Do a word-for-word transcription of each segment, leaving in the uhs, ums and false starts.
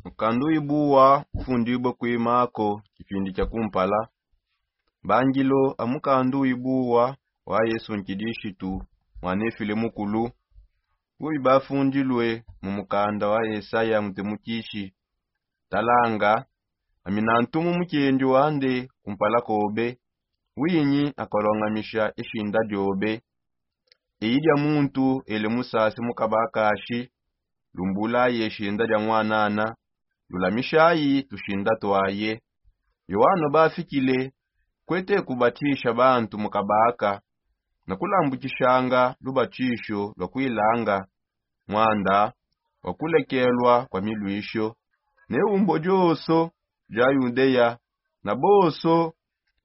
Mukandu wibuwa ufundibue kuimako kipindi kia kumpala. Bangilo a mukandu wibuwa wa Yesu Nkidishitu, mwanefile mukulu. Bubi bafundilue mu mukanda wa Yesaya mutimukishi: Talanga, ami nantumu mukendi wande kumpala kobe, winyi akolongamisha ishinda diobe. Eyi dia muntu ele musasi mukabakashi, lumbulaye ishinda dia mwanana, lulamishayi tushinda twaye. Yoano bafikile, kwete kubatisha bantu mukabaka, na kulambukishanga lubatisho lwa kuilanga, mwanda wa kulekelwa kwa milwisho. Ne umbo dioso dia Yudea, na boso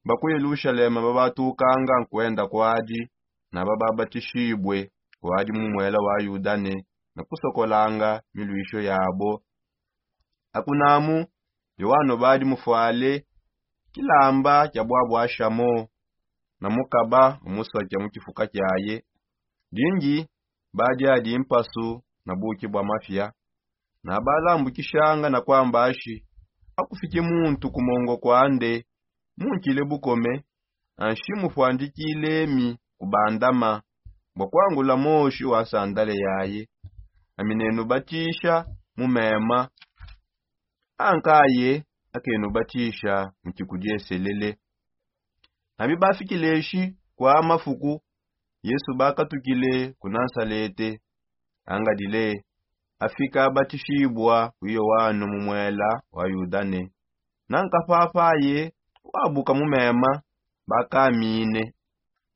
ba ku Yelushalema babatukanga nkwenda kwadi, na bababatishibue kwadi mu mwela wa Yudane, na kusokolanga milwisho yabo. Akunamu, Yoano badi mufwale kilamba kia bwabwashamo, na mukaba umusokia mu kifuka kiaye. Dingi badi adi mpasu na buki bwa mafia. Na balambukishanga na kwamba ashi: Akufike muntu ku mongo kwande, munkile bukome, anshi mufwandikile mi kubandama, bwa kwangula moshi wa sandale yaye. Ami nenubatisha mu mema, ankaye akenubatisha mu kikudieselele. Abi bafikileshi kwa mafuku, Yesu bakatukile ku Nasalete, angadile, afika abatishibua ku Yoano mu mwela wa Yudane. Na nkafafa aye wabuka mu mema, bakamine,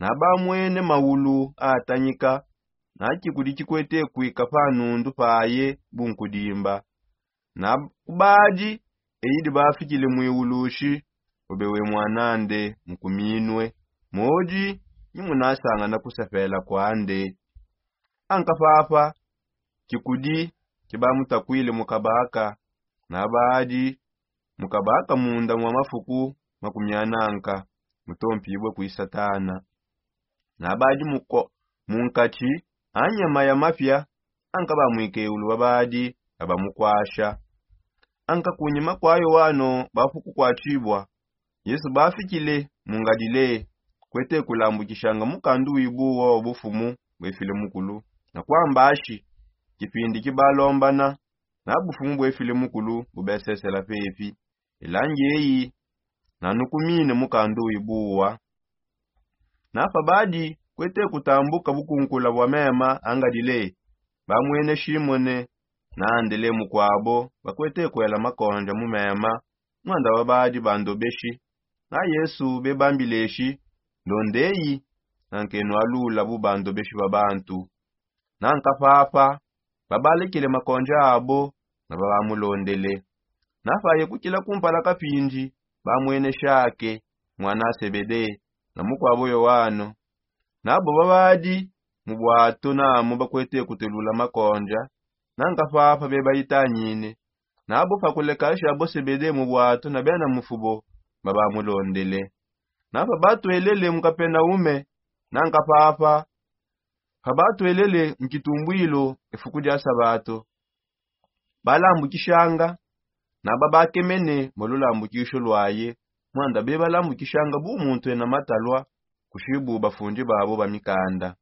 na bamwene maulu atanyika, na kikudi kikwete kwika pa nundu paye bunkudimba. Na kubadi, eyidi bafikile mwiulushi: Obe we mwanande mukuminue, modi ni munasangana kusepela kwande. Ankapapa, kikudi kibamutakwile mukabaka, na badi mukabaka munda mwa mafuku makumiananka, mutompibue kwi Satana. Na badi muko-, munkati anyama ya mafia, anka bamwike ulu babadi abamukwasha. Anka kunyima kwa Yoano bafuku kwatibua, Yesu bafikile mu Ngalile, kwete kulambukishanga mukandu wibuwa wa bufumu bwefile mukulu, na kwamba ashi: Kipindi kibalombana, na bufumu bwefile mukulu bubesesela pepi. Elangi eyi, nanukumine mukandu wibuwa. Na pa badi kwete kutambuka bukunkula bwa mema a Ngalile, bamwene Shimone na Andele mukwabo bakwete kwela makonja mu mema, mwanda babadi bandobeshi. Na Yesu bebambileshi: Ndondeyi, na nkenualula bu bandobeshi ba bantu. Na nkapapa, babalekele makonja abo, na babamulondele. Na paye kukila kumpala kapindi, bamwene Shake, mwana a Sebede, na mukwabo Yoano. Na bo babadi mu bwato namo bakwete kutelula makonja, na nkapapa bebayitanyine. Na bo pakulekasha bo Sebede mu bwato na bena mufubo, babamulondele. Na pabatwelele mu Kapenaume, na nkapapa, pabatwelele mu kitumbwilo efuku dia sabato, balambukishanga, na babakemene mu lulambukisho lwaye, mwanda bebalambukishanga bu muntu ena matalwa, kushibu bafundi babo ba mikanda.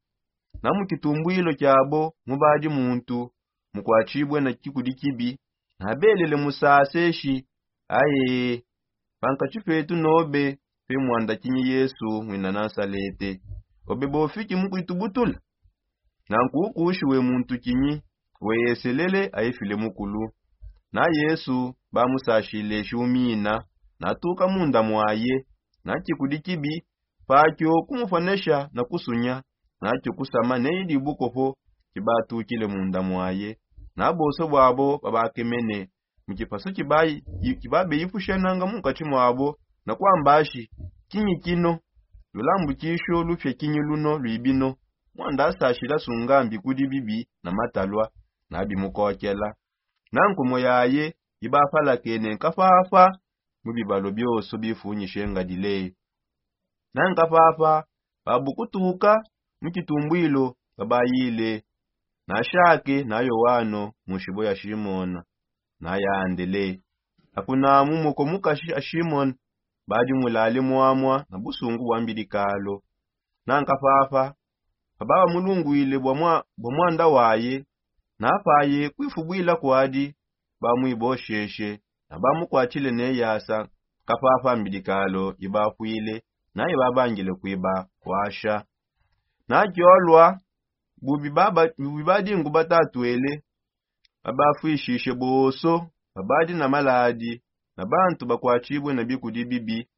Na mu kitumbwilo kiabo mubadi muntu mukwatibue na kikudi kibi, na belele musaseshi: Aye, pankati petu nobe pe mwanda kinyi Yesu mwina Nasalete, obe bofiki mukwitubutula? Nanku ukushi we muntu kinyi, we Yeselele aifile mukulu. Na Yesu bamusashileshi umina, natuka munda mwaye, na kikudi kibi, pakio kumuponesha na kusunya, nakio kusama neyi dibukopo kibatukile munda mwaye. Na bonso bwabo babakemene mu kipasu kibayi-, kibabeyipushananga munkati mwabo, na kwamba ashi: Kinyi kino? Lulambukisho lupia kinyi luno lwibino? Mwanda asashila sunga mbikudi bibi na matalwa, na bimukokela. Na nkumo yaye ibapalakene nkapapa mu bibalo bionso bifunyishe Ngalile. Na nkapapa, babukutuka mu kitumbwilo babayile na Shake na Yoano mu nshibo ya Shimona. nayandele. Akunamu moko mukashi a shimone badi mulale mwamwa na busungu bwa mbidikalo. Nanka papa pababamulungwile bwa mwanda waye, napaye kwifubwila kwadi bamuibosheshe na bamukwatshile ne yasa. Kapapa mbidikalo ibapwile na ibabangile kuibakwasha. Nakiolwa bubi badi ngubatatwele, babafwishishe bonso babadi na maladi na bantu bakwatshibue na bikudi bibi,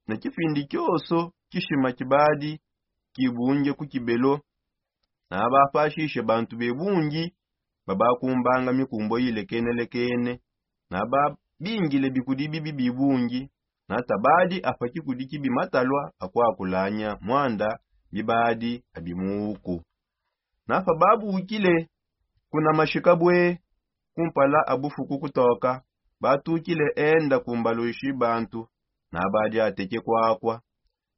na kipindi kionso kishima kibadi kibunge ku kibelo. Na bapashishe bantu bebungi babakumbanga mikumbo ilekenelekene, na babingile bikudi bibi bibungi. Na tabadi apa kikudi kibi matalua akuakulanya mwanda bibadi abimuuku. Na pababukile kuna mashika bwe kumpala abufuku kutoka, batukile enda kumbaluishi bantu na badi ateke kwakwa.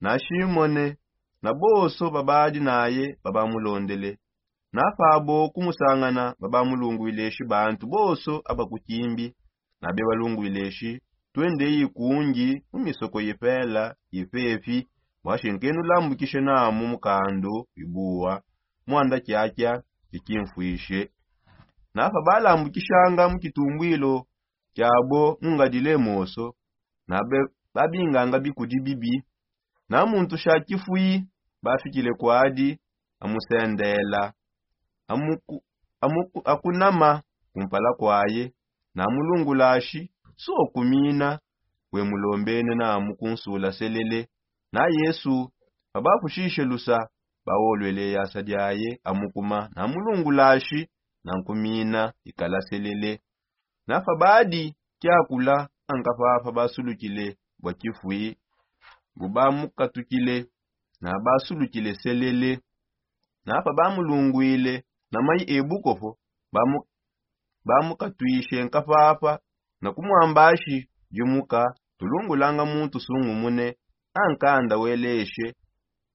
Na shimone na bonso babadi naye babamulondele. Na pabo kumusangana babamulungwileshi bantu bonso abakukimbi na bebalungwileshi, twende ikungi mu misoko yipela yipepi, bwashi nkenulambukishe namu mukandu wibuwa mwanda kiakia kikimfwishe. Na pabalambukishanga mu kitumbwilo kiabo mungadile moso, na babinganga bikudi bibi. Na muntu sha kifwi bafikile kwadi amusendela, akunama kumpala kwaye, na mulungulashi sokumina wemulombene namu kunsula selele. Na yesu pabapushishe lusa, bawolwele yasa diaye amukuma na mulungulashi na nkumina ikala selele. Na pabadi kiakula anka papa basulukile bua kifwi, bu bamukatukile na basulukile selele. Na pabamulungwile na mayi ebukopo, bamukatwishe nka papa na kumwambashi, dimuka, tulungulanga muntu sungumune. Ankanda weleshe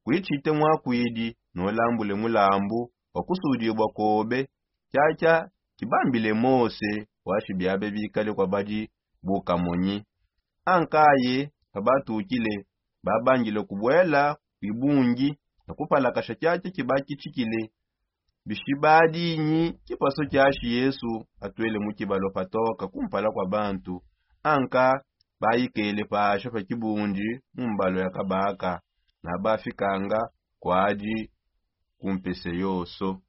kuitshite mwakwidi nolambule mulambu wa kusudibua kobe. Tshiatshia kibambile mose washi biabe bikale kwa badi bukamonyi. Ankaye pabatukile, babangile kubuela kuibungi na kupalakasha tshiatshia kibakitshikile. Bishibadinyi tshipaso tshiashi yesu atuele mu tshibalua patoka kumpala kua bantu. Anka bayikele pasha pa tshibundi mu mbalua ya kabaka, na bafikanga kuadi ku mpese yoso.